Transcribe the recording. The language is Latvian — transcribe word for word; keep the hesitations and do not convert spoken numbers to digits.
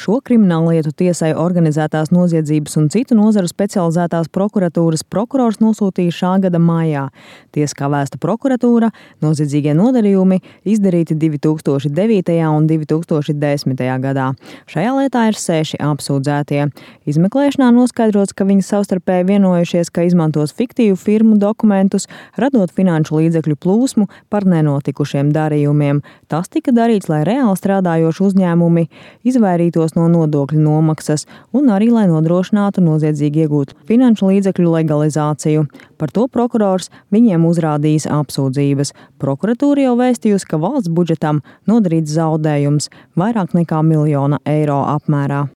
Šo krimināllietu tiesai organizētās noziedzības un citu nozaru specializētās prokuratūras prokurors nosūtīja šā gada maijā. Tiesa kā vēsta prokuratūra, noziedzīgie nodarījumi izdarīti divi tūkstoši devītajā un divi tūkstoši desmitajā gadā. Šajā lietā ir seši apsūdzētie. Izmeklēšanā noskaidrots, ka viņi savstarpēji vienojušies, ka izmantos fiktīvu firmu dokumentus, radot finanšu līdzekļu plūsmu par nenotikušiem darījumiem. Tas tika darīts, lai reāli strādājoši uzņēmumi izvairītos no nodokļu nomaksas un arī, lai nodrošinātu noziedzīgi iegūtu finanšu līdzekļu legalizāciju. Par to prokurors viņiem uzrādījis apsūdzības. Prokuratūra jau vēstījusi, ka valsts budžetam nodarīts zaudējums vairāk nekā miljona eiro apmērā.